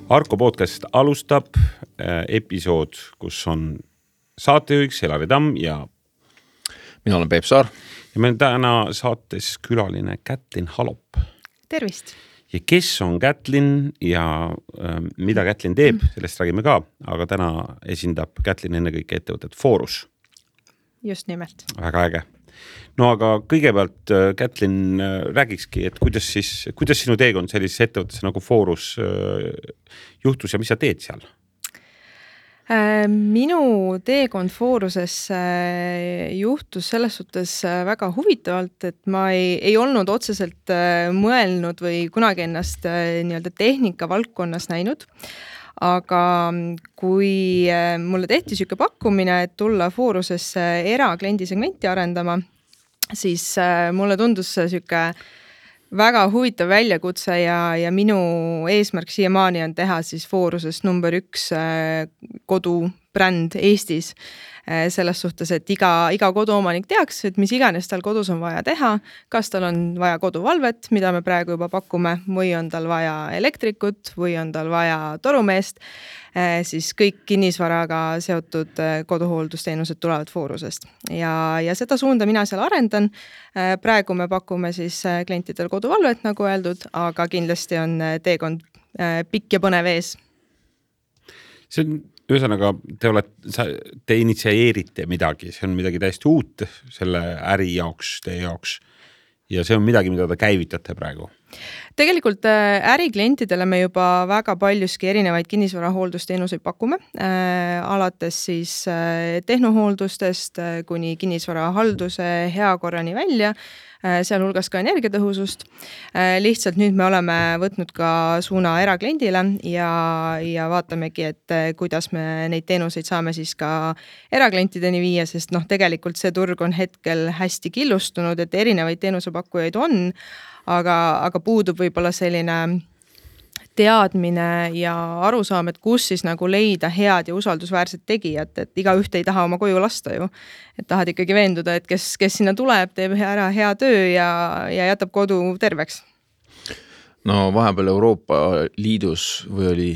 Arko podcast alustab episood, kus on saatejuhiks Elari Tamm ja mina olen Peep Saar. Ja meil on täna saates külaline Kätlin Halop. Tervist! Ja kes on Kätlin ja mida Kätlin teeb, sellest räägime ka, aga täna esindab Kätlin ennekõike ettevõtet Forus. Just nimelt. Väga äge. No aga kõigepealt Kätlin räägikski, et kuidas sinu teekond sellises ettevõttes nagu Forus juhtus ja mis sa teed seal? Minu teekond Foruses juhtus selles suhtes väga huvitavalt, et ma ei olnud otseselt mõelnud või kunagi ennast nii-öelda tehnika valdkonnas näinud. Aga kui mulle tehti siuke pakkumine, et tulla Forusesse erakliendisegmenti arendama, siis mulle tundus siuke väga huvitav väljakutse ja minu eesmärk siiamaani on teha siis Forusest number 1 kodubränd Eestis. Selles suhtes, et iga koduomanik teaks, et mis iganes tal kodus on vaja teha, kas tal on vaja koduvalvet, mida me praegu juba pakume, või on tal vaja elektrikut, või on tal vaja torumeest, siis kõik kinnisvaraga seotud koduhooldusteenused tulevad Forusest. Ja seda suunda mina seal arendan. Praegu me pakume siis klientidel koduvalvet, nagu öeldud, aga kindlasti on teekond pikk ja põnev ees. See on ühesõnaga, te initsieerite midagi, see on midagi täiesti uut selle äri jaoks, teie jaoks ja see on midagi, mida te käivitate praegu. Tegelikult äriklientidele me juba väga paljuski erinevaid kinnisvarahooldusteenuseid pakume, alates siis tehnohooldustest kuni kinnisvarahalduse heakorrani välja, sealhulgas ka energiatõhusust. Lihtsalt nüüd me oleme võtnud ka suuna erakliendile ja vaatamegi, et kuidas me neid teenuseid saame siis ka eraklientideni viia, sest tegelikult see turg on hetkel hästi killustunud, et erinevaid teenusepakkujaid on, aga puudub võib-olla selline teadmine ja arusaam, et kus siis nagu leida head ja usaldusväärset tegijat, et iga ühte ei taha oma koju lasta ju. Et tahad ikkagi veenduda, et kes sinna tuleb, teeb ära hea töö ja jätab kodu terveks. No vahepeal Euroopa Liidus või oli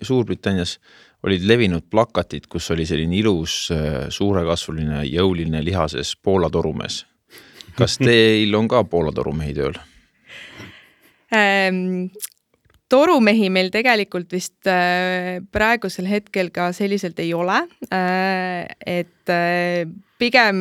Suurbritannias olid levinud plakatid, kus oli selline ilus, suurekasvuline, jõuline lihases Poola torumees. Kas teil on ka Poola torumehi tööl? Torumehi meil tegelikult vist praegusel hetkel ka selliselt ei ole, et pigem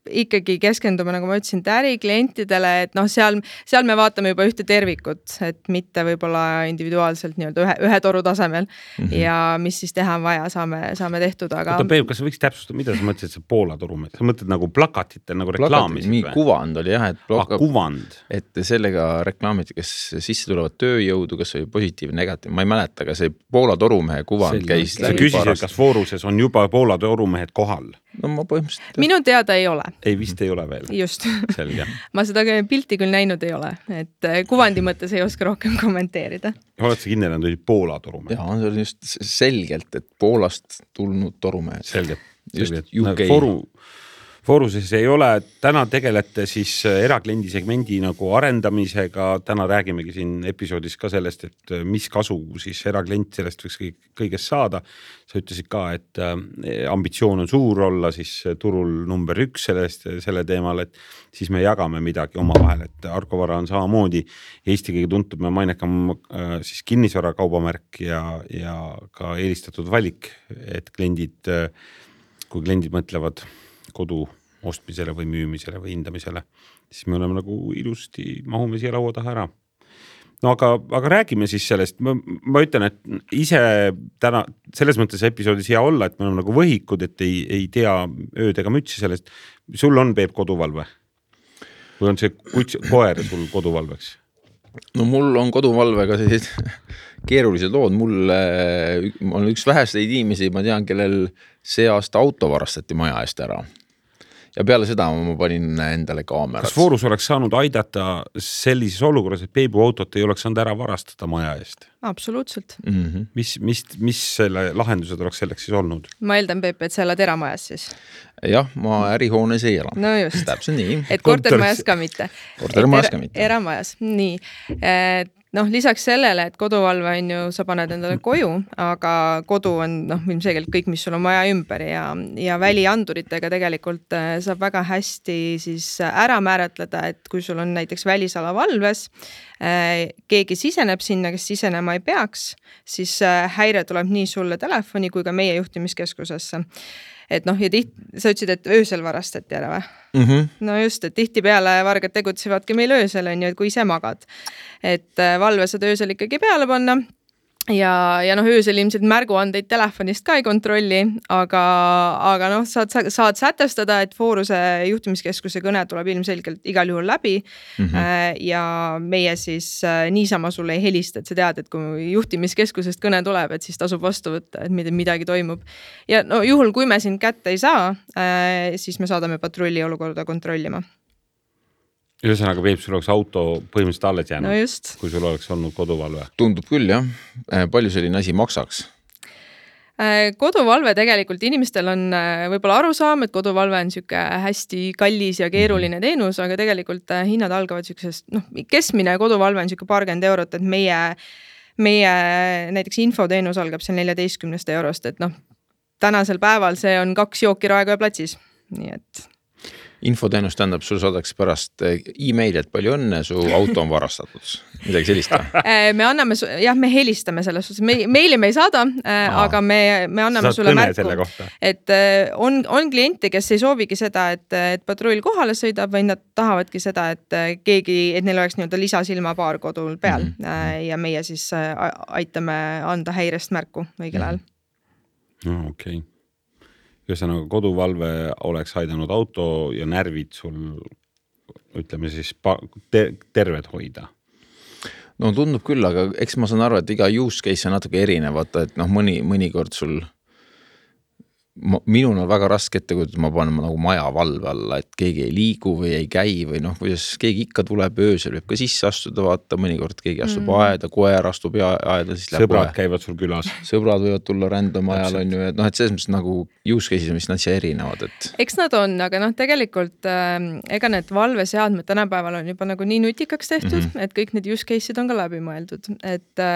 ikkagi keskendume, nagu ma ütlesin, äriklientidele, et seal me vaatame juba ühte tervikut, et mitte võib-olla individuaalselt ühe toru tasemel ja mis siis teha on vaja, saame tehtud, aga... Peep, kas sa võiks täpsustada, mida sa mõtlesid see Poola torumees? Sa mõtled nagu plakatite, nagu reklaamisid või? Kuvand oli jah, kuvand. Et sellega reklaamiti, kes sisse tulevad tööjõudu, kas oli positiivne, negatiivne, ma ei mäleta, aga see Poola torumehe kuvand käis läbi. Sa küsisid, kas Foruses on juba Poola torumehed kohal? No ma põhimõtteliselt... Minu teada ei ole. Ei, vist ei ole veel. Just. Selge. Ma seda pilti küll näinud ei ole, et kuvandi mõttes ei oska rohkem kommenteerida. Oled sa kindel, et oli Poola torumehed? Jaa, see oli just selgelt, et Poolast tulnud torumehed. Selge. Just UK. Foruses ei ole, täna tegelete siis erakliendisegmendi nagu arendamisega, täna räägimegi siin episoodis ka sellest, et mis kasu siis eraklient sellest võiks kõigest saada. Sa ütlesid ka, et ambitsioon on suur olla siis turul number 1 selle teemal, et siis me jagame midagi oma vahel, et Arko Vara on samamoodi Eesti kõige tuntud me mainekam siis kinnisvara kaubamärk ja ka eelistatud valik, et kui kliendid mõtlevad kodu ostmisele või müümisele või hindamisele, siis me oleme nagu ilusti mahume siia laua taha ära. No aga räägime siis sellest. Ma ütlen, et ise täna selles mõttes episoodis hea olla, et me oleme nagu võhikud, et ei tea ööd ega mütsi sellest. Sul on Peep koduvalve? Või on see koer sul koduvalveks? No mul on koduvalvega sellised keerulised lood. Mul on üks vähesteid inimesi, ma tean, kellel see aasta auto varastati maja eest ära. Ja peale seda ma panin endale kaamerat. Kas Forus oleks saanud aidata sellises olukorras, et Peebu autot ei oleks saanud ära varastada maja eest? Absoluutselt. Mis selle lahendused oleks selleks siis olnud? Ma eeldan, Peep, et sa elad eramajas siis. Jah, ma ärihoones ei ela. No just. Täpselt nii. Et kortermajas ka mitte. Kortermajas ka mitte. Eramajas. Nii. noh, lisaks sellele, et koduvalve on ju, sa paned endale koju, aga kodu on ilmselgelt kõik, mis sul on maja ümber ja välianduritega tegelikult saab väga hästi siis ära määratleda, et kui sul on näiteks välisala valves, keegi siseneb sinna, kes sisenema ei peaks, siis häire tuleb nii sulle telefoni kui ka meie juhtimiskeskusesse. Et noh, ja sa ütlesid, et öösel varastati ära või? No just, et tihtipeale vargad tegutsevadki meil öösel, on ju, et kui ise magad. Et valve saad öösel ikkagi peale panna ja noh, öösel ilmselt märguandeid telefonist ka ei kontrolli, aga noh, saad sätestada, et Fooruse juhtimiskeskuse kõne tuleb ilmselgelt igal juhul läbi ja meie siis niisama sulle ei helista, et sa tead, et kui juhtimiskeskusest kõne tuleb, et siis tasub vastu võtta, et midagi toimub. Ja no juhul, kui me sind kätte ei saa, siis me saadame patrulli olukorda kontrollima. Ühesõnaga, Peep, sul oleks auto põhimõtteliselt alles jäänud, no just. Kui sul oleks olnud koduvalve. Tundub küll, jah. Palju selline asi maksaks? Koduvalve tegelikult inimestel on võib-olla arusaam, et koduvalve on siuke hästi kallis ja keeruline teenus, aga tegelikult hinnad algavad siuksest, noh, keskmine koduvalve on siuke paarkümmend eurot, et meie näiteks infoteenus algab seal 14 eurost, et noh, tänasel päeval see on 2 jooki Raekoja platsis, nii et Infoteenus tähendab, sul saadaks pärast e-mail, et palju õnne, su auto on varastatud. Midagi sellist. Me anname, jah, me helistame selles suhtes, meili me ei saada, aga me anname sulle märku, et on kliente, kes ei soovigi seda, et patrull kohale sõidab, või nad tahavadki seda, et neil oleks nii-öelda lisasilmapaar kodul peal ja meie siis aitame anda häirest märku õigel ajal. No, okei. Ühesõnaga, koduvalve oleks aidanud auto ja närvid sul, ütleme siis, terved hoida. No tundub küll, aga eks ma saan aru, et iga use case on natuke erinevat, et noh, mõnikord sul minul on väga raske ette, kui ma panen nagu maja valve alla, et keegi ei liigu või ei käi või noh, kuidas keegi ikka tuleb öösel, võib ka sisse astuda, vaata mõnikord keegi astub aeda, koer astub aeda, siis läheb sõbrad käivad sul külas. Sõbrad võivad tulla random ajal, on ju, et noh, et selles mõttes nagu use cases, mis nad siia erinevad, et eks nad on, aga noh, tegelikult ega need valveseadmed tänapäeval on juba nagu nii nutikaks tehtud, et kõik need use case'id on ka läbi mõeldud, et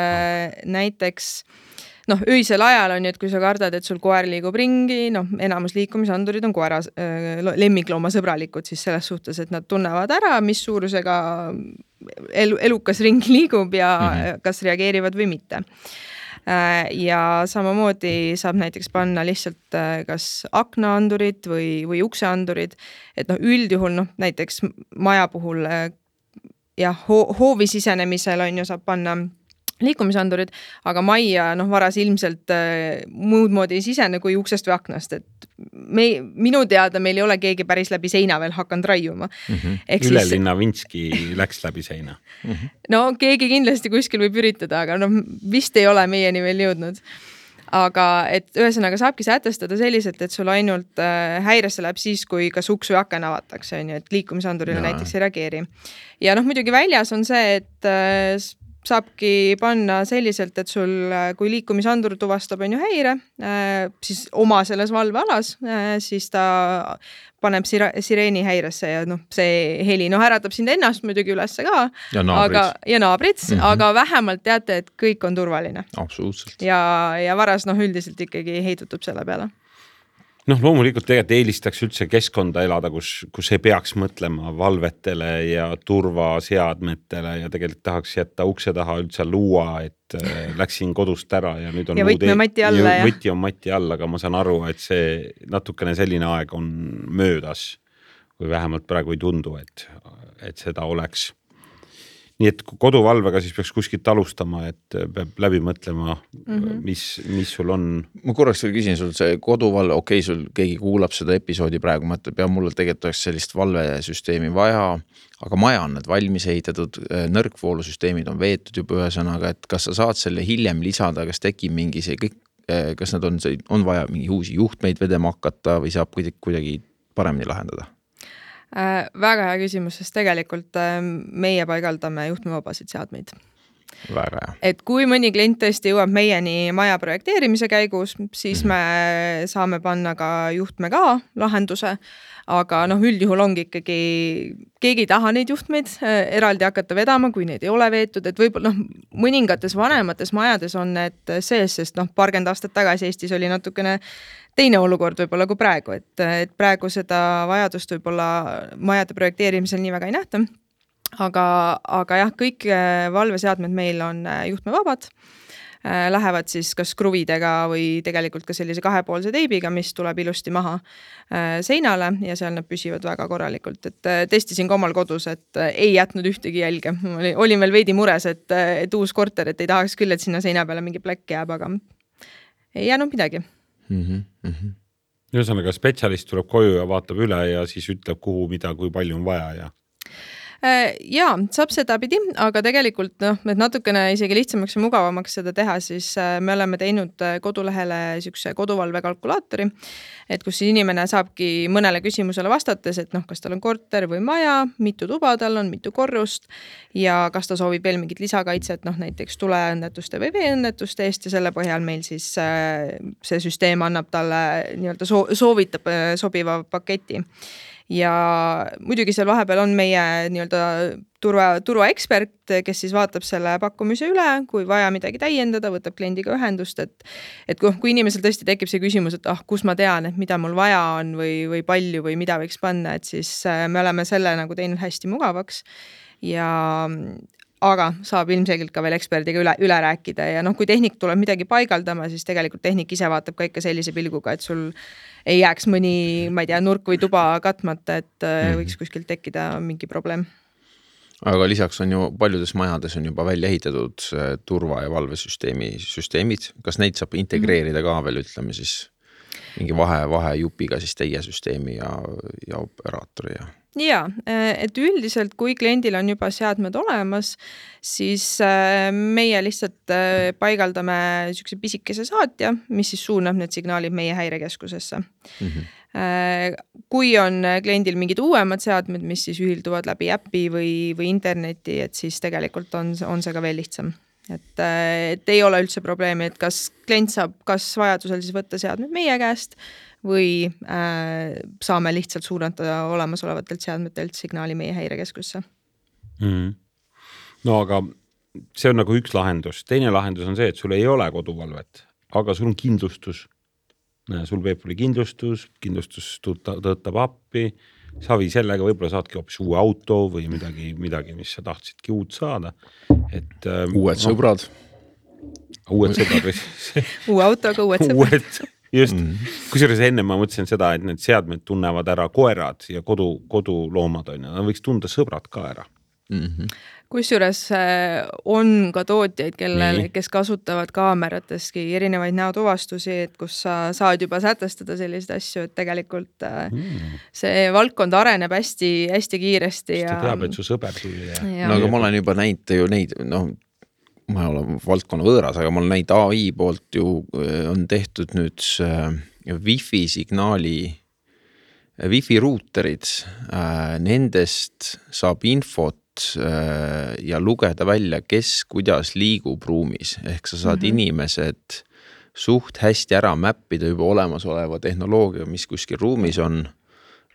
näiteks noh, öisel ajal on ju, et kui sa kardad, et sul koer liigub ringi, noh, enamus liikumisandurid on koera lemmiklooma sõbralikud siis selles suhtes, et nad tunnevad ära, mis suurusega elukas ringi liigub ja kas reageerivad või mitte. Ja samamoodi saab näiteks panna lihtsalt kas aknaandurid või ukseandurid, et noh, üldjuhul noh, näiteks maja puhul ja hoovi sisenemisel on ju, saab panna liikumisandurid, aga majja noh, varas ilmselt muud moodi ei sisene kui uksest või aknast, et minu teada meil ei ole keegi päris läbi seina veel hakanud raiuma. Ülelinna Vinski läks läbi seina. No keegi kindlasti kuskil võib üritada, aga noh, vist ei ole meieni veel jõudnud. Aga et ühesõnaga saabki sätestada selliselt, et sul ainult häiresse läheb siis, kui kas uks või aken avatakse, et liikumisandurile näiteks ei reageeri. Ja noh, muidugi väljas on see, et saabki panna selliselt, et sul, kui liikumisandur tuvastab on ju häire, siis oma selles valvealas, siis ta paneb sireeni häiresse ja noh, see heli äratab sind ennast muidugi ülesse ka. Ja naabrid. Aga vähemalt teate, et kõik on turvaline. Absoluutselt. Ja varas noh, üldiselt ikkagi heitutub selle peale. Noh, loomulikult tegelikult eelistaks üldse keskkonda elada, kus ei peaks mõtlema valvetele ja turvaseadmetele ja tegelikult tahaks jätta ukse taha üldse luua, et läksin kodust ära ja nüüd on ja võti on mati all, aga ma saan aru, et see natukene selline aeg on möödas, kui vähemalt praegu ei tundu, et seda oleks. Nii et koduvalvega siis peaks kuskilt alustama, et peab läbi mõtlema, mis sul on. Ma korraks veel küsin sul see koduvalve, okei, sul keegi kuulab seda episoodi praegu, mõtleb ja mulle tegelikult oleks sellist valvesüsteemi vaja, aga maja on need valmis ehitatud, nõrkvoolusüsteemid on veetud juba ühesõnaga, et kas sa saad selle hiljem lisada, kas tekib mingi see kõik, kas nad on vaja mingi uusi juhtmeid vedema hakata või saab kuidagi paremini lahendada? Väga hea küsimus, sest tegelikult meie paigaldame juhtmevabasid seadmeid. Väga hea. Et kui mõni klient tõesti jõuab meieni maja projekteerimise käigus, siis me saame panna ka juhtme ka lahenduse, aga üldjuhul ongi ikkagi, keegi ei taha neid juhtmeid eraldi hakata vedama, kui neid ei ole veetud, et võib-olla mõningates vanemates majades on need sees, sest paarkümmend aastat tagasi Eestis oli natukene teine olukord võib-olla kui praegu, et praegu seda vajadust võib-olla majade projekteerimisel nii väga ei nähta. Aga jah, kõik valveseadmed meil on juhtmevabad, lähevad siis kas kruvidega või tegelikult ka sellise kahepoolse teibiga, mis tuleb ilusti maha seinale ja seal nad püsivad väga korralikult. Et testisin ka omal kodus, et ei jätnud ühtegi jälge. Olin veel veidi mures, et uus korter, et ei tahaks küll, et sinna seina peale mingi plekk jääb, aga ei jäänud midagi. Ühesõnaga, spetsialist tuleb koju ja vaatab üle ja siis ütleb, kuhu, mida, kui palju on vaja ja Jaa, saab seda pidi, aga tegelikult et natukene isegi lihtsamaks ja mugavamaks seda teha, siis me oleme teinud kodulehele sükse koduvalve kalkulaatori, et kus inimene saabki mõnele küsimusele vastates, et kas tal on korter või maja, mitu tuba tal on, mitu korrust ja kas ta soovib veel mingit lisakaitset, näiteks tuleõnnetuste või veeõnnetuste eest ja selle põhjal meil siis see süsteem annab talle nii-öelda soovitab sobiva paketi. Ja muidugi seal vahepeal on meie nii-öelda turvaekspert, kes siis vaatab selle pakkumise üle, kui vaja midagi täiendada, võtab kliendiga ühendust, et kui inimesel tõesti tekib see küsimus, et kus ma tean, et mida mul vaja on või palju või mida võiks panna, et siis me oleme selle teinud hästi mugavaks aga saab ilmselgelt ka veel eksperdiga üle rääkida ja kui tehnik tuleb midagi paigaldama, siis tegelikult tehnik ise vaatab ka ikka sellise pilguga, et sul ei jääks mõni, ma ei tea, nurk või tuba katmata, et võiks kuskilt tekkida mingi probleem. Aga lisaks on ju paljudes majades on juba välja ehitatud turva- ja valvesüsteemid. Kas neid saab integreerida ka veel, ütleme siis mingi vahejupiga siis teie süsteemi ja operaatori ja... Jaa, et üldiselt kui kliendil on juba seadmed olemas, siis meie lihtsalt paigaldame sükse pisikese saatja, mis siis suunab need signaalid meie häirekeskusesse. Kui on kliendil mingid uuemad seadmed, mis siis ühilduvad läbi äppi või interneti, et siis tegelikult on see ka veel lihtsam. Et ei ole üldse probleemi, et kas klient saab kas vajadusel siis võtta seadmed meie käest või saame lihtsalt suunata olemasolevatelt seadmetelt signaali meie häirekeskusse. No aga see on nagu üks lahendus. Teine lahendus on see, et sul ei ole koduvalvet, aga sul on kindlustus. Sul Peepuli kindlustus tõotab appi, savi sellega võib-olla saadki hoopis uue auto või midagi, mis sa tahtsidki uut saada. Et, uued sõbrad. Uued sõbrad. Uue autoga uued sõbrad. Just, kusjuures enne ma mõtlesin seda, et need seadmed tunnevad ära koerad ja koduloomad on ja nad võiks tunda sõbrad ka ära. Kusjuures on ka tootjaid, kes kasutavad kaamerateski erinevaid näotuvastusi, et kus sa saad juba sätestada selliseid asju, et tegelikult see valdkond areneb hästi, hästi kiiresti. Ta teab, et su sõber tuli. No aga ma olen juba näinud ju neid, ma olen valdkonna võõras, aga ma olen näinud AI poolt ju on tehtud nüüd Wi-Fi signaali, Wi-Fi ruuterid, nendest saab infot ja lugeda välja, kes kuidas liigub ruumis. Ehk sa saad inimesed suht hästi ära mäppida juba olemasoleva tehnoloogia, mis kuskil ruumis on,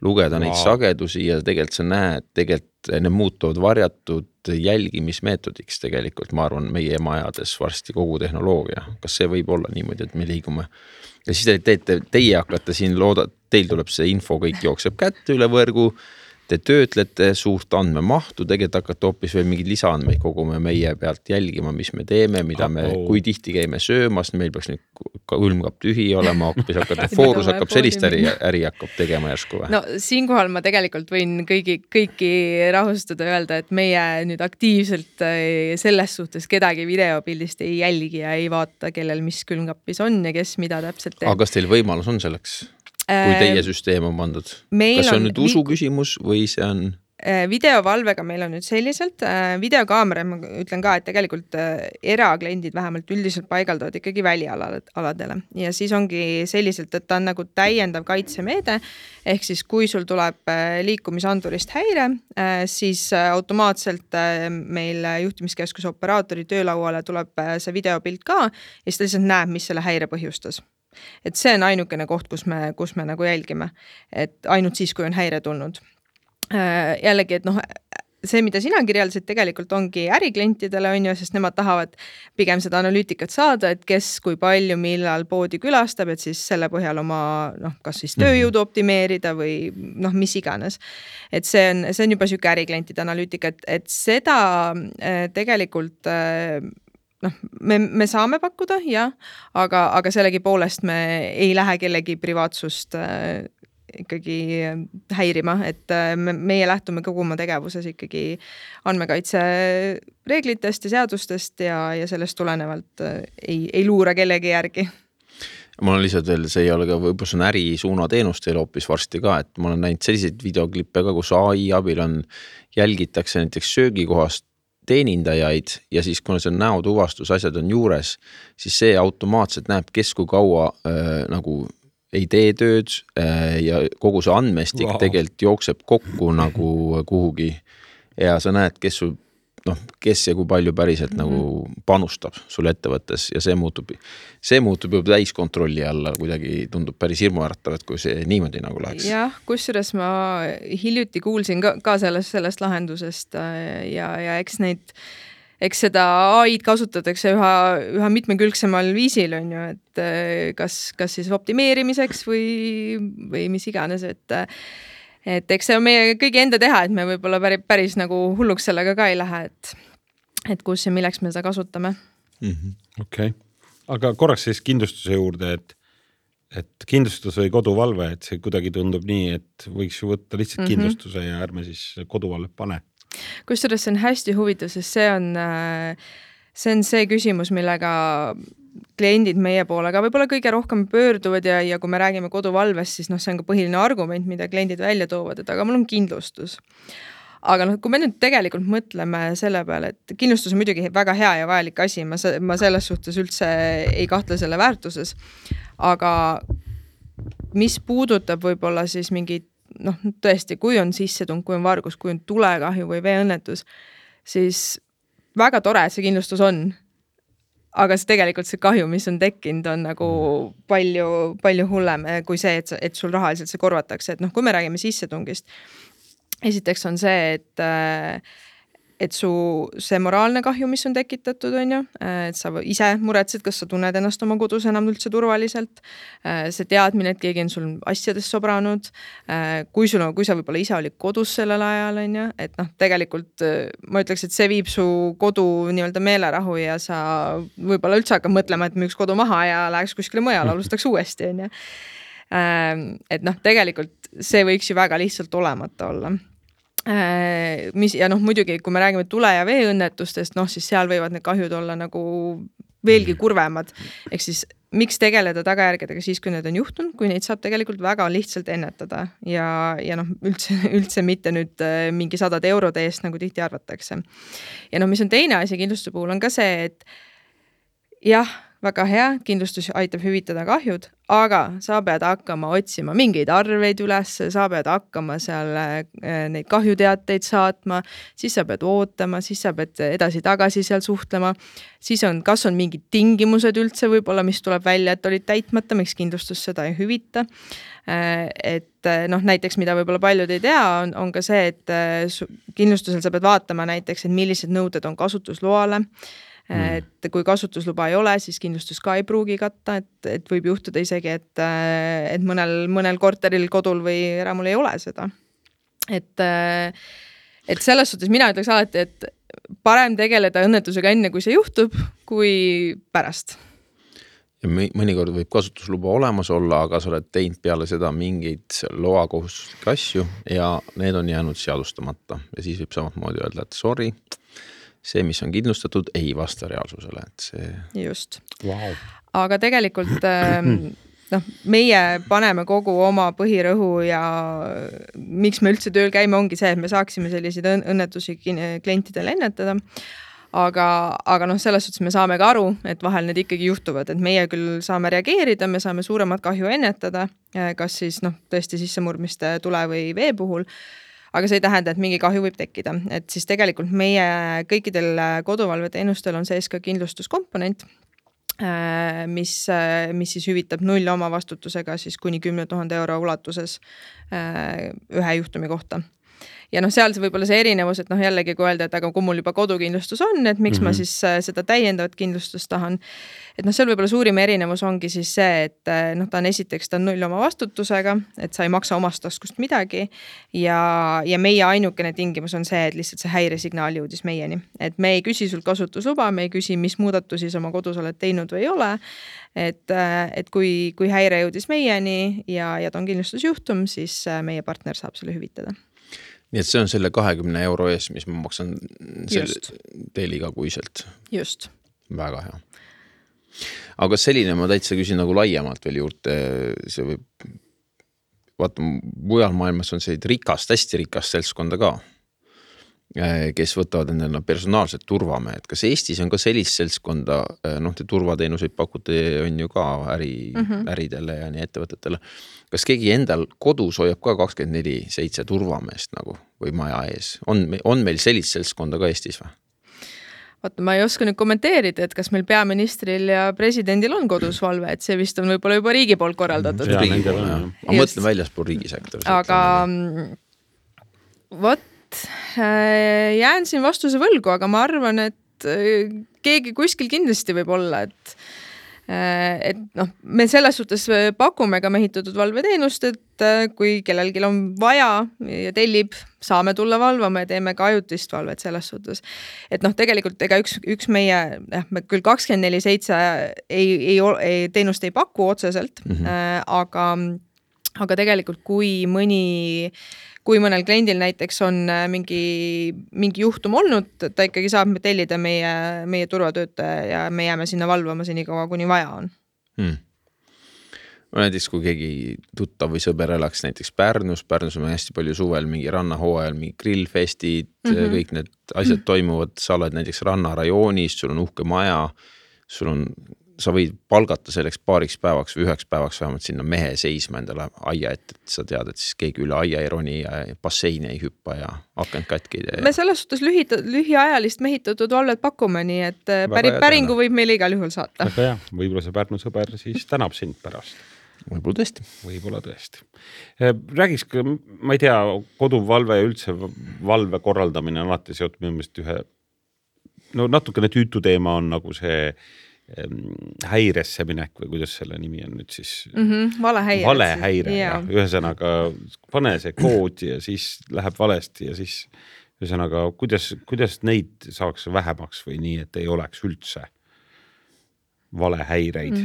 lugeda neid sagedusi ja tegelikult sa näed, tegelikult need muutuvad varjatud jälgimismeetodiks tegelikult, ma arvan, meie majades varsti kogu tehnoloogia. Kas see võib olla niimoodi, et me liigume? Ja siis teie hakkate siin teil tuleb see info, kõik jookseb kätte üle võrgu, te töötlete suurt andmemahtu, tegelikult hakkate hoopis veel mingid lisaandmeid kogume meie pealt jälgima, mis me teeme, mida me, kui tihti käime söömas, meil peaks nüüd külmkapp tühi olema, hoopis hakkate, Foorus hakkab sellist äri hakkab tegema järsku või? No siinkohal ma tegelikult võin kõiki rahustada öelda, et meie nüüd aktiivselt selles suhtes kedagi videopildist ei jälgi ja ei vaata, kellel mis külmkappis on ja kes mida täpselt teeb. Aga kas teil võimalus on selleks? Kui teie süsteem on pandud. Kas see on nüüd usu küsimus või see on? videovalvega meil on nüüd selliselt, videokaamera, ma ütlen ka, et tegelikult erakliendid vähemalt üldiselt paigaldavad ikkagi välialadele ja siis ongi selliselt, et ta on nagu täiendav kaitsemeede, ehk siis kui sul tuleb liikumisandurist häire, siis automaatselt meil juhtimiskeskuse operaatori töölauale tuleb see videopilt ka ja siis ta lihtsalt näeb, mis selle häire põhjustas. Et see on ainukene koht, kus me nagu jälgime, et ainult siis, kui on häire tulnud. Jällegi, et see, mida sina kirjeldasid, tegelikult ongi äriklientidele, on ju, sest nemad tahavad pigem seda analüütikat saada, et kes kui palju millal poodi külastab, et siis selle põhjal oma kas siis tööjõudu optimeerida või mis iganes. Et see on juba siuke äriklientide analüütika, et seda tegelikult me saame pakkuda, jah, aga sellegi poolest me ei lähe kellegi privaatsust ikkagi häirima, et meie lähtume kogu oma tegevuses ikkagi andmekaitse reeglitest ja seadustest ja sellest tulenevalt ei luura kellegi järgi. Ma olen lihtsalt veel, see ei ole ka võib-olla see on ärisuunateenus teil hoopis varsti ka, et ma olen näinud selliseid videoklippe ka, kus AI abil jälgitakse näiteks söögikohast teenindajaid ja siis kuna see näotuvastus asjad on juures, siis see automaatselt näeb, kes kui kaua nagu ei tee tööd ja kogu see andmestik tegelikult jookseb kokku nagu kuhugi ja sa näed, kes ja kui palju päriselt nagu panustab sul ettevõttes ja see muutub juba täiskontrolli alla, kuidagi tundub päris hirmuäratav, et kui see niimoodi nagu läheks. Jah, kusjuures ma hiljuti kuulsin ka sellest lahendusest ja eks seda AI-d kasutatakse üha mitmekülgsemal viisil, on ju, et kas siis optimeerimiseks või mis iganes, et eks see on meie kõigi enda teha, et me võib-olla päris nagu hulluks sellega ka ei lähe, et kus ja milleks me seda kasutame. Okei. Aga korraks siis kindlustuse juurde, et kindlustus või koduvalve, et see kuidagi tundub nii, et võiks ju võtta lihtsalt kindlustuse ja ärme siis koduvalve pane. Kusjuures see on hästi huvitav, sest see on see küsimus, millega kliendid meie poole ka võib-olla kõige rohkem pöörduvad ja kui me räägime koduvalvest, siis see on ka põhiline argument, mida kliendid välja toovad, et aga mul on kindlustus. Aga kui me nüüd tegelikult mõtleme selle peale, et kindlustus on muidugi väga hea ja vajalik asi, ma selles suhtes üldse ei kahtle selle väärtuses, aga mis puudutab võib-olla siis mingid tõesti, kui on sissetung, kui on vargus, kui on tulekahju või veeõnnetus, siis väga tore, et see kindlustus on. Aga tegelikult see kahju, mis on tekkinud, on nagu palju hullem kui see, et sul rahaliselt see korvatakse. Et kui me räägime sissetungist, esiteks on see, et su see moraalne kahju, mis on tekitatud, on ju, et sa ise muretsed, kas sa tunned ennast oma kodus enam üldse turvaliselt, see teadmine, et keegi on sul asjadest sobranud, kui sa võib-olla ise olid kodus sellel ajal, on ju, et tegelikult ma ütleks, et see viib su kodu nii-öelda meelerahu ja sa võib-olla üldse hakkab mõtlema, et müüks kodu maha ja läheks kuskile mujal, alustaks uuesti, on ju. Et tegelikult see võiks ju väga lihtsalt olemata olla. Ja muidugi, kui me räägime tule- ja veeõnnetustest, siis seal võivad need kahjud olla nagu veelgi kurvemad. Ehk siis miks tegeleda tagajärgedega siis, kui need on juhtunud, kui neid saab tegelikult väga lihtsalt ennetada ja üldse mitte nüüd mingi 100 eurode eest, nagu tihti arvatakse. Ja mis on teine asi kindlustuse puhul on ka see, et jah, väga hea, kindlustus aitab hüvitada kahjud, aga sa pead hakkama otsima mingeid arveid üles, sa pead hakkama seal neid kahjuteateid saatma, siis sa pead ootama, siis sa pead edasi-tagasi seal suhtlema, siis kas on mingid tingimused üldse võib-olla, mis tuleb välja, et olid täitmata, miks kindlustus seda ei hüvita. Et näiteks, mida võib-olla paljud ei tea, on ka see, et kindlustusel sa pead vaatama näiteks, et millised nõuded on kasutusloale. Et kui kasutusluba ei ole, siis kindlustus ka ei pruugi katta, et võib juhtuda isegi, et mõnel korteril, kodul või eramul ei ole seda. Et selles suhtes mina ütleks alati, et parem tegeleda õnnetusega enne, kui see juhtub, kui pärast. Ja mõnikord võib kasutusluba olemas olla, aga sa oled teinud peale seda mingeid loakohustuslikke asju ja need on jäänud seadustamata ja siis võib samamoodi öelda, et sorry, see, mis on kindlustatud, ei vasta reaalsusele. Et see... Just. Wow. Aga tegelikult meie paneme kogu oma põhirõhu ja miks me üldse tööl käime, ongi see, et me saaksime selliseid õnnetusi klientidele ennetada. Aga selles suhtes me saame ka aru, et vahel need ikkagi juhtuvad, et meie küll saame reageerida, me saame suuremat kahju ennetada, kas siis tõesti sissemurdmiste tule või vee puhul, aga see ei tähenda, et mingi kahju võib tekkida. Et siis tegelikult meie kõikidel koduvalveteenustel on sees ka kindlustuskomponent, mis siis hüvitab null omavastutusega siis kuni 10 000 euro ulatuses ühe juhtumi kohta. Ja seal see võib-olla see erinevus, et jällegi kui öelda, et aga kui mul juba kodukindlustus on, et miks ma siis seda täiendavat kindlustust tahan. Et seal võib-olla suurim erinevus ongi siis see, et ta on esiteks ta on null oma vastutusega, et sa ei maksa omast taskust midagi ja meie ainukene tingimus on see, et lihtsalt see häiresignaal jõudis meieni. Et me ei küsi sult kasutusluba, me ei küsi, mis muudatusi sa oma kodus oled teinud või ei ole. Et kui häire jõudis meieni ja ta on kindlustusjuhtum, siis meie partner saab selle hüvitada. Nii et see on selle 20 euro ees, mis ma maksan teil igakuiselt. Just. Väga hea. Aga selline ma täitsa küsin nagu laiemalt veel juurde. See võib, vaata, mujal maailmas on sellised hästi rikast seltskonda ka, kes võtavad endale personaalset turvamehed. Kas Eestis on ka sellist seltskonda, te turvateenuseid pakute on ju ka äridele ja nii ettevõtetele. Kas keegi endal kodus hoiab ka 24/7 turvameest nagu või maja ees? On meil sellist seltskonda ka Eestis või? Vaata, ma ei oska nüüd kommenteerida, et kas meil peaministril ja presidendil on kodus valve, et see vist on võib-olla juba riigi poolt korraldatud. Ma mõtlen väljaspool riigisektor. Aga jään siin vastuse võlgu, aga ma arvan, et keegi kuskil kindlasti võib olla, et me selles suhtes pakume ka mehitatud valveteenust, et kui kellelgi on vaja ja tellib, saame tulla valvama ja teeme ka ajutist valvet selles suhtes. Et tegelikult ega üks meie, me küll 24/7 teenust ei paku otseselt, aga tegelikult kui mõnel kliendil näiteks on mingi juhtum olnud, ta ikkagi saab tellida meie turvatöötaja ja me jääme sinna valvama senikaua, kuni vaja on. Näiteks kui keegi tuttav või sõber elaks näiteks Pärnus on hästi palju suvel mingi rannahooajal, mingi grillfestid, kõik need asjad toimuvad, sa oled näiteks rannarajoonis, sul on uhke maja, sa võid palgata selleks paariks päevaks või 1 päevaks vähemalt sinna mehe seisma endale aia, et sa tead, et siis keegi üle aia ei roni ja basseini ei hüppa ja akent katki. Me selles suhtes lühiajalist mehitatud valvet pakume, nii et päringu võib meile igal juhul saata. Aga jah, võib-olla see Pärnu sõber siis tänab sind pärast. Võib-olla tõesti. Räägiks, ma ei tea, koduvalve ja üldse valve korraldamine on alati seotud minu meelest natukene tüütu teema on nagu see häiresse minek või kuidas selle nimi on nüüd siis? Valehäire. Ühesõnaga pane see kood ja siis läheb valesti ja siis ühesõnaga kuidas neid saaks vähemaks või nii, et ei oleks üldse valehäireid?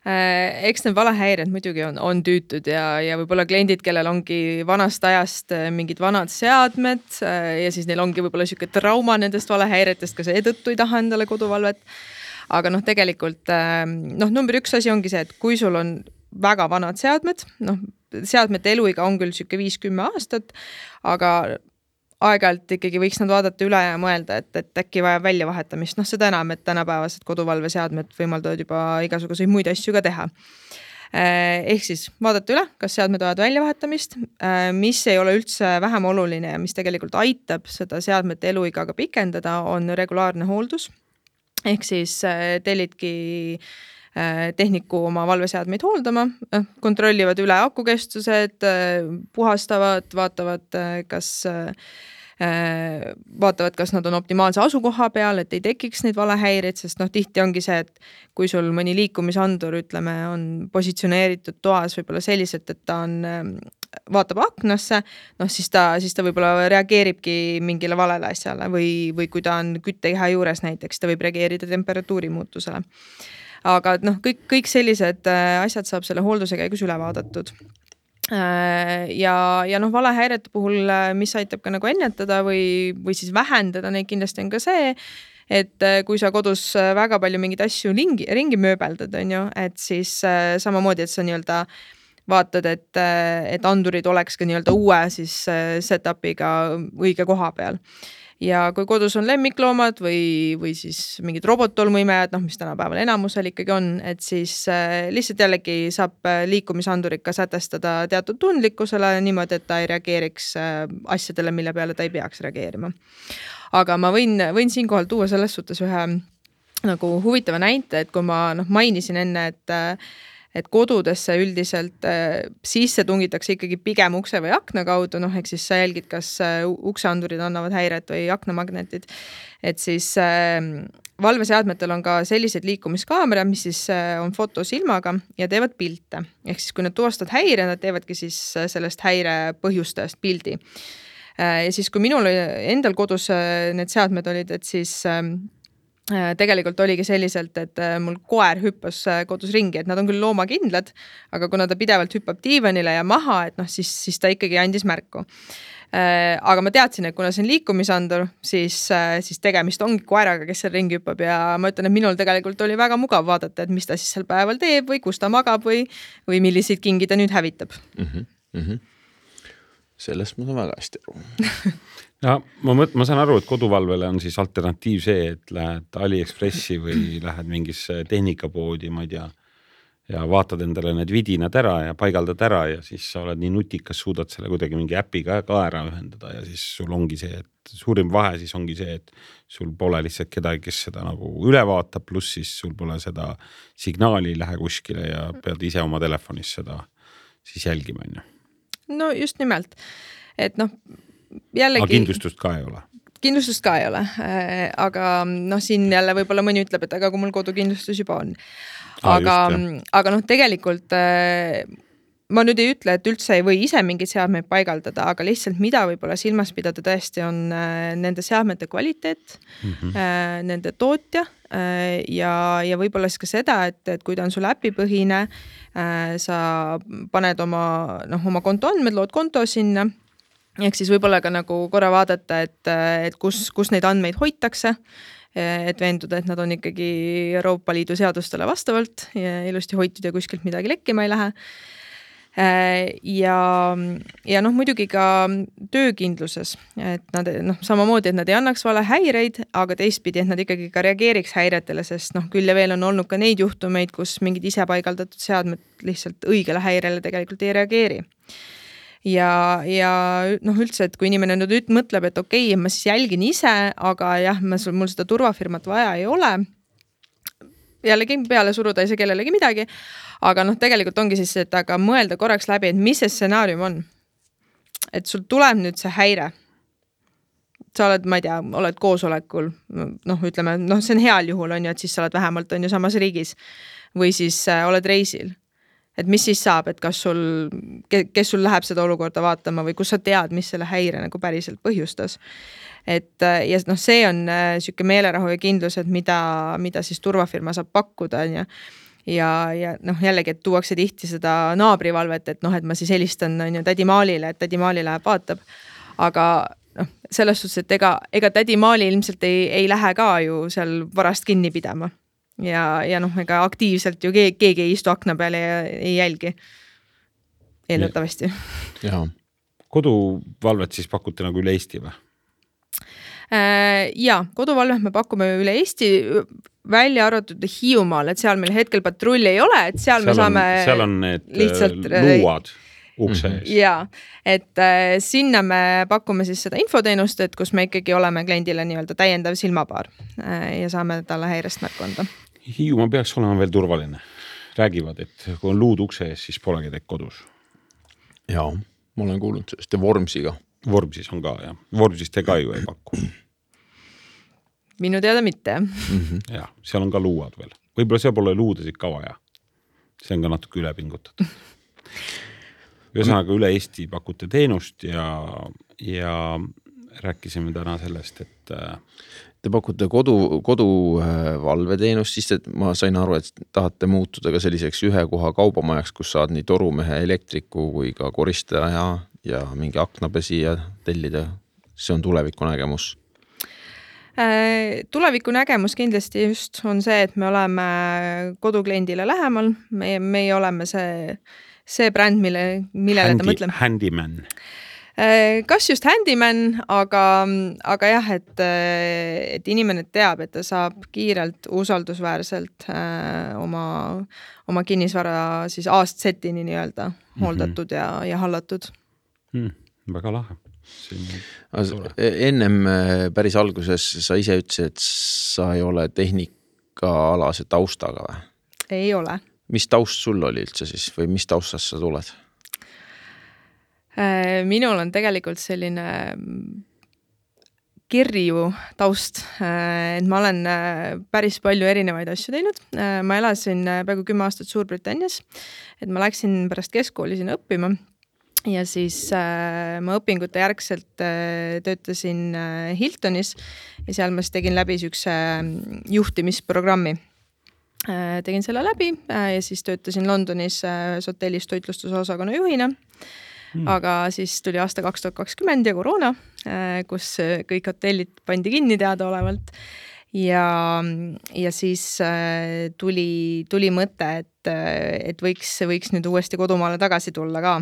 Eks need valehäired muidugi on tüütud ja võib-olla kliendid, kellel ongi vanast ajast mingid vanad seadmed ja siis neil ongi võib-olla siuke trauma nendest valehäiretest, ka seetõttu ei taha endale koduvalvet. Aga tegelikult number 1 asi ongi see, et kui sul on väga vanad seadmed, seadmete eluiga on küll siuke 5-10 aastat, aga aeg-ajalt ikkagi võiks nad vaadata üle ja mõelda, et äkki vajab väljavahetamist. Seda enam, et tänapäevased koduvalveseadmed võimaldavad juba igasuguseid muid asju ka teha. Ehk siis vaadata üle, kas seadmed vajavad väljavahetamist, mis ei ole üldse vähem oluline ja mis tegelikult aitab seda seadmete eluiga ka pikendada, on regulaarne hooldus. Ehk siis tellidki tehniku oma valveseadmeid hooldama, kontrollivad üle akukestused, puhastavad, vaatavad, kas nad on optimaalse asukoha peal, et ei tekiks neid valehäireid, sest tihti ongi see, et kui sul mõni liikumisandur, ütleme, on positsioneeritud toas võib-olla selliselt, et ta vaatab aknasse, siis ta võib-olla reageeribki mingile valele asjale või kui ta on küttekeha juures näiteks, ta võib reageerida temperatuuri muutusele. Aga kõik sellised asjad saab selle hoolduse käigus üle vaadatud. Ja valehäirete puhul, mis aitab ka nagu ennetada või siis vähendada neid kindlasti on ka see, et kui sa kodus väga palju mingeid asju ringi mööbeldad, on ju, et siis samamoodi, et sa nii-öelda vaatad, et andurid oleks ka nii-öelda uue siis setup'iga õige koha peal. Ja kui kodus on lemmikloomad või siis mingid robottolmuimejad, mis tänapäeval enamusel ikkagi on, et siis lihtsalt jällegi saab liikumisandurid ka sätestada teatud tundlikkusele niimoodi, et ta ei reageeriks asjadele, mille peale ta ei peaks reageerima. Aga ma võin siinkohal tuua selles suhtes ühe nagu huvitava näite, et kui ma mainisin enne, et kodudesse üldiselt sisse tungitakse ikkagi pigem ukse või akna kaudu, ehk siis sa jälgid, kas ukseandurid annavad häiret või aknamagnetid. Et siis valveseadmetel on ka sellised liikumiskaamerad, mis siis on fotosilmaga ja teevad pilte. Ehk siis kui nad tuvastavad häire, nad teevadki siis sellest häire põhjustajast pildi. Ja siis kui minul endal kodus need seadmed olid, et siis tegelikult oligi selliselt, et mul koer hüppas kodus ringi, et nad on küll loomakindlad, aga kuna ta pidevalt hüppab diivanile ja maha, et siis ta ikkagi andis märku. Aga ma teadsin, et kuna see on liikumisandur, siis tegemist ongi koeraga, kes seal ringi hüppab ja ma ütlen, et minul tegelikult oli väga mugav vaadata, et mis ta siis seal päeval teeb või kus ta magab või milliseid kingi ta nüüd hävitab. Sellest ma saan väga hästi aru. Ja ma saan aru, et koduvalvele on siis alternatiiv see, et lähed AliExpressi või lähed mingisse tehnikapoodi, ma ei tea, ja vaatad endale need vidinad ära ja paigaldad ära ja siis sa oled nii nutikas, suudad selle kuidagi mingi äpiga ka ära ühendada ja siis sul ongi see, et suurim vahe siis ongi see, et sul pole lihtsalt kedagi, kes seda nagu üle vaatab, pluss siis sul pole seda signaali lähe kuskile ja pead ise oma telefonis seda siis jälgima. No just nimelt, et jällegi... Aga kindlustust ka ei ole. Kindlustust ka ei ole, aga siin jälle võib-olla mõni ütleb, et aga kui mul kodukindlustus juba on. Aga tegelikult ma nüüd ei ütle, et üldse ei või ise mingid seadmeid paigaldada, aga lihtsalt mida võib-olla silmas pidada tõesti on nende seadmete kvaliteet, nende tootja ja võib-olla siis ka seda, et kui ta on sul äpipõhine, sa paned oma kontoandmed, lood konto sinna, ehk siis võib-olla ka nagu korra vaadata, et kus neid andmeid hoitakse, et veenduda, et nad on ikkagi Euroopa Liidu seadustele vastavalt ja ilusti hoitud ja kuskilt midagi lekkima ei lähe. Ja muidugi ka töökindluses, et nad samamoodi, et nad ei annaks vale häireid, aga teistpidi, et nad ikkagi ka reageeriks häiretele, sest küll ja veel on olnud ka neid juhtumeid, kus mingid ise paigaldatud seadmed lihtsalt õigele häirele tegelikult ei reageeri. Ja üldse, et kui inimene nüüd mõtleb, et okei, ma siis jälgin ise, aga jah, mul seda turvafirmat vaja ei ole, jällegi peale suruda ei saa kellelegi midagi, aga tegelikult ongi siis, et aga mõelda korraks läbi, et mis see stsenaarium on. Et sul tuleb nüüd see häire. Sa oled, ma ei tea, oled koosolekul, ütleme, see on heal juhul, on ju, et siis sa oled vähemalt on ju samas riigis või siis oled reisil. Et mis siis saab, et kes sul läheb seda olukorda vaatama või kus sa tead, mis selle häire nagu päriselt põhjustas. Ja see on siuke meelerahu ja kindlus, et mida siis turvafirma saab pakkuda, on ju. Ja jällegi, et tuuakse tihti seda naabrivalvet, et ma siis helistan tädi Maalile, et tädi Maali läheb vaatab. Aga selles suhtes, et ega tädi Maali ilmselt ei lähe ka ju seal varast kinni pidama. Ja ega aktiivselt ju keegi ei istu akna peale ja ei jälgi. Eeldatavasti. Koduvalvet siis pakute nagu üle Eesti või? Ja, koduvalvet me pakume üle Eesti välja arvatud Hiiumaal, et seal meil hetkel patrulli ei ole, et seal me saame seal on need luuad ukse ees. Ja, et sinna me pakume siis seda infoteenust, et kus me ikkagi oleme kliendile nii-öelda täiendav silmapaar ja saame talle häirest märku anda. Hiiumaa peaks olema veel turvaline. Räägivad, et kui on luud ukse ees, siis polegi teid kodus. Jaa, ma olen kuulnud sellest ja Vormsiga. Vormsis on ka, jah. Vormsis te ka ju ei paku. Minu teada mitte. Ja, seal on ka luuad veel. Võib-olla seal pole luudesid ka vaja. See on ka natuke ülepingutatud. Ühesõnaga üle Eesti pakute teenust ja rääkisime täna sellest, et te pakute koduvalveteenust, siis ma sain aru, et tahate muutuda ka selliseks ühe koha kaubamajaks, kus saad nii torumehe, elektriku kui ka koristaja ja mingi aknapesi ja tellida. See on tuleviku nägemus. Tuleviku nägemus kindlasti just on see, et me oleme kodukliendile lähemal, meie oleme see bränd, millele ta mõtleb. Handyman. Kas just handyman, aga jah, et inimene teab, et ta saab kiirelt, usaldusväärselt oma kinnisvara siis A-setini nii-öelda hooldatud ja hallatud. Väga lahe. Ennem päris alguses sa ise ütlesid, et sa ei ole tehnikaalase taustaga või? Ei ole. Mis taust sul oli üldse siis või mis taustast sa tuled? Minul on tegelikult selline kirju taust, et ma olen päris palju erinevaid asju teinud. Ma elasin peaaegu 10 aastat Suurbritannias, et ma läksin pärast keskkooli sinna õppima ja siis ma õpingute järgselt töötasin Hiltonis ja seal ma tegin läbi sükse juhtimisprogrammi. Tegin selle läbi ja siis töötasin Londonis hotellis toitlustuse osakonna juhina. Aga siis tuli aasta 2020 ja koroona, kus kõik hotellid pandi kinni teadaolevalt ja siis tuli mõte, et võiks nüüd uuesti kodumaale tagasi tulla ka.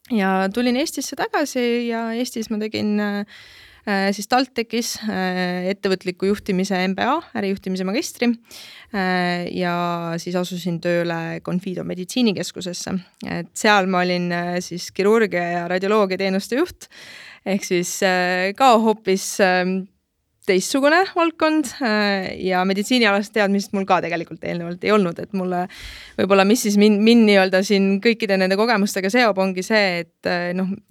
Ja tulin Eestisse tagasi ja Eestis ma tegin siis TalTechis ettevõtliku juhtimise MBA, ärijuhtimise magistri ja siis asusin tööle Confido meditsiinikeskusesse. Et seal ma olin siis kirurgia ja radioloogia teenuste juht ehk siis ka hoopis teistsugune valdkond ja meditsiinialast teadmist mul ka tegelikult eelnevalt ei olnud, et mulle võib-olla mis siis mind nii-öelda siin kõikide nende kogemustega seob ongi see, et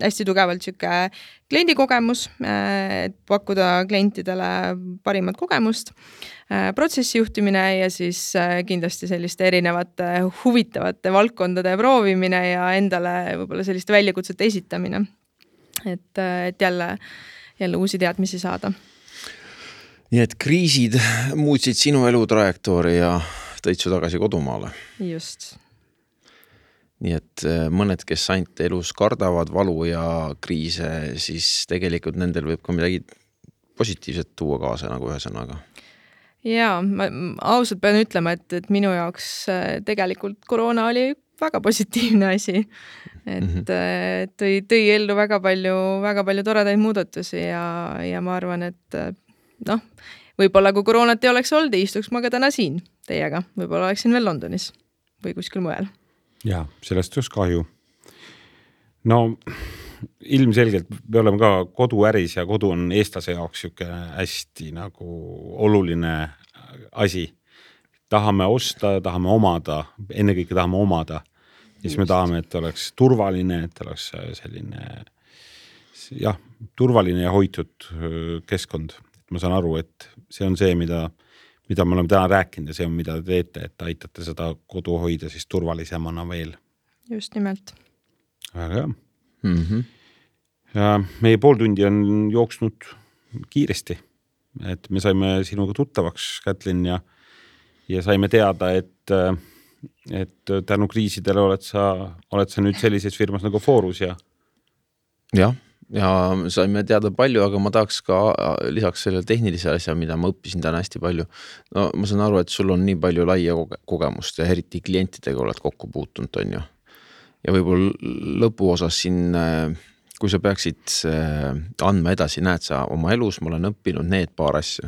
hästi tugevalt siuke kliendikogemus, et pakkuda klientidele parimat kogemust, protsessijuhtimine ja siis kindlasti selliste erinevate huvitavate valdkondade proovimine ja endale võib-olla selliste väljakutsete esitamine, et jälle uusi teadmisi saada. Nii et kriisid muutsid sinu elu trajektoori ja tõid su tagasi kodumaale. Just. Nii et mõned, kes ainult elus kardavad valu ja kriise, siis tegelikult nendel võib ka midagi positiivset tuua kaasa nagu ühesõnaga. Jaa, ma ausalt pean ütlema, et minu jaoks tegelikult koroona oli väga positiivne asi. Et tõi ellu väga palju toredaid muudatusi ja ma arvan, et võib-olla kui koroonat ei oleks olnud, istuks ma ka täna siin teiega. Võib-olla oleksin veel Londonis või kuskil mujal. Jaa, sellest just kahju. No ilmselgelt me oleme ka koduäris ja kodu on eestlase jaoks siuke hästi nagu oluline asi. Tahame osta, tahame omada, ennekõike tahame omada. Ja siis me tahame, et oleks turvaline, et oleks selline turvaline ja hoitud keskkond. Ma saan aru, et see on see, mida me oleme täna rääkinud ja see on, mida te teete, et aitate seda kodu hoida siis turvalisemana veel. Just nimelt. Väga hea. Ja meie pool tundi on jooksnud kiiresti, et me saime sinuga tuttavaks, Kätlin, ja saime teada, et tänu kriisidele oled sa nüüd sellises firmas nagu Forus ja saime teada palju, aga ma tahaks ka lisaks selle tehnilise asja, mida ma õppisin täna hästi palju. No ma saan aru, et sul on nii palju laia kogemust ja eriti klientidega oled kokku puutunud, on ju. Ja võib-olla lõpuosas siin, kui sa peaksid andma edasi, näed sa oma elus, ma olen õppinud need paar asja,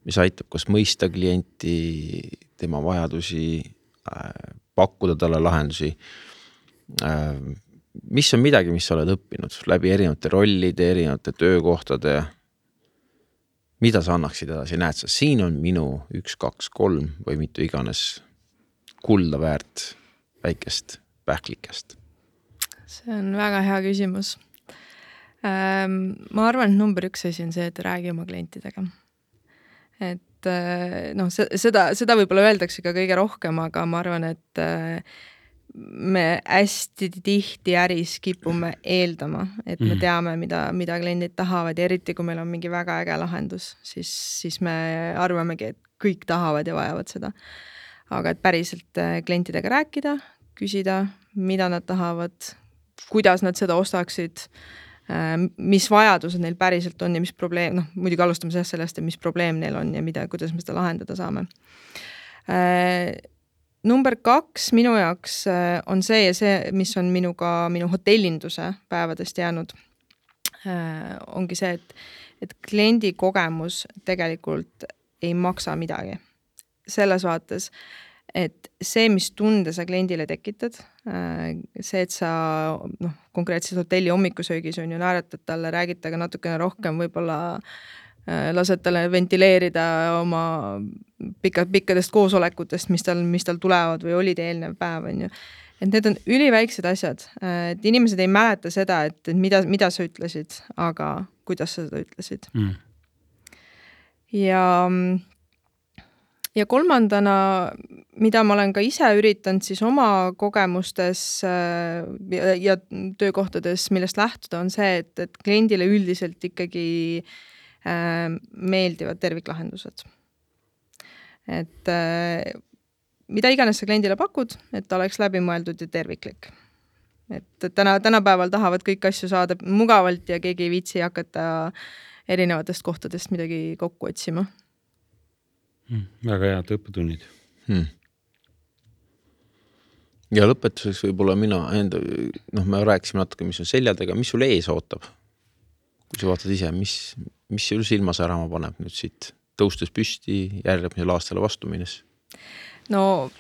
mis aitab kas mõista klienti, tema vajadusi, pakkuda talle lahendusi. Mis on midagi, mis sa oled õppinud läbi erinevate rollide, erinevate töökohtade? Mida sa annaksid edasi? Näed sa, siin on minu 1, 2, 3 või mitu iganes kulda väärt väikest pähklikest? See on väga hea küsimus. Ma arvan, et number 1 asi on see, et räägi oma klientidega. Et seda võib-olla öeldakse ka kõige rohkem, aga ma arvan, et me hästi tihti äris kipume eeldama, et me teame, mida kliendid tahavad ja eriti, kui meil on mingi väga äge lahendus, siis me arvamegi, et kõik tahavad ja vajavad seda. Aga et päriselt klientidega rääkida, küsida, mida nad tahavad, kuidas nad seda ostaksid, mis vajadused neil päriselt on ja mis probleem, muidugi alustame sellest, mis probleem neil on ja kuidas me seda lahendada saame. Number 2 minu jaoks on see, mis on minu hotellinduse päevadest jäänud, ongi see, et kliendi kogemus tegelikult ei maksa midagi. Selles vaates, et see, mis tunde sa kliendile tekitad, see, et sa konkreetselt hotelli hommikusöögis on ju naeratad talle, räägid taga natukene rohkem, võib-olla lased talle ventileerida oma pikkadest koosolekutest, mis tal tulevad või olid eelnev päev, on ju. Et need on üliväiksed asjad, et inimesed ei mäleta seda, et mida sa ütlesid, aga kuidas sa seda ütlesid. Ja kolmandana, mida ma olen ka ise üritanud siis oma kogemustes ja töökohtades, millest lähtuda, on see, et kliendile üldiselt ikkagi meeldivad terviklahendused. Et mida iganes sa kliendile pakud, et ta oleks läbimõeldud ja terviklik. Et tänapäeval tahavad kõik asju saada mugavalt ja keegi ei viitsi hakata erinevatest kohtadest midagi kokku otsima. Väga head õppetunnid. Ja lõpetuseks võib-olla mina enda, me rääkisime natuke, mis on seljadega, mis sul ees ootab? Kui sa vaatad ise, mis sul silma särama paneb nüüd siit tõustes püsti järgmisel aastale vastu minnes? No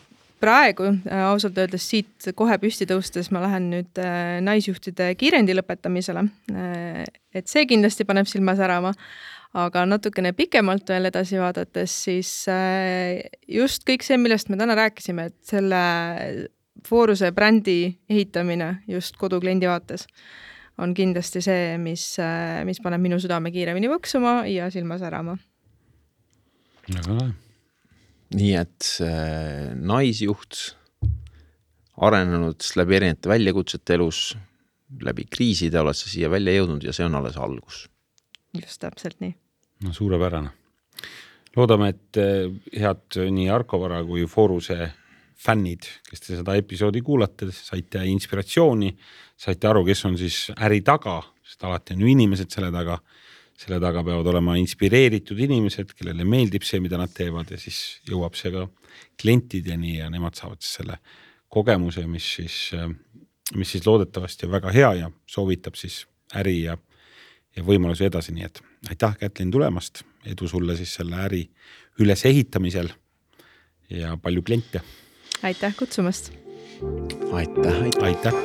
praegu ausalt öeldes siit kohe püsti tõustes ma lähen nüüd naisjuhtide kiirendi lõpetamisele. Et see kindlasti paneb silma särama. Aga natukene pikemalt veel edasi vaadates, siis just kõik see, millest me täna rääkisime, et selle Foruse brändi ehitamine just kodukliendi vaates on kindlasti see, mis paneb minu südame kiiremini võksuma ja silma särama. Nii et naisjuht arenenud läbi erinevate väljakutsete elus, läbi kriiside oled sa siia välja jõudnud ja see on alles algus. Just täpselt nii. No suurepärane. Loodame, et head nii Arko Vara kui Foruse fännid, kes te seda episoodi kuulate, saite inspiratsiooni, saite aru, kes on siis äri taga, sest alati on ju inimesed selle taga peavad olema inspireeritud inimesed, kellele meeldib see, mida nad teevad ja siis jõuab see ka klientideni ja nemad saavad selle kogemuse, mis siis loodetavasti on väga hea ja soovitab siis äri ja võimalusi edasi, nii et aitäh, Kätlin, tulemast, edu sulle siis selle äri üles ehitamisel ja palju kliente. Aitäh kutsumast. Aitäh. Aitäh.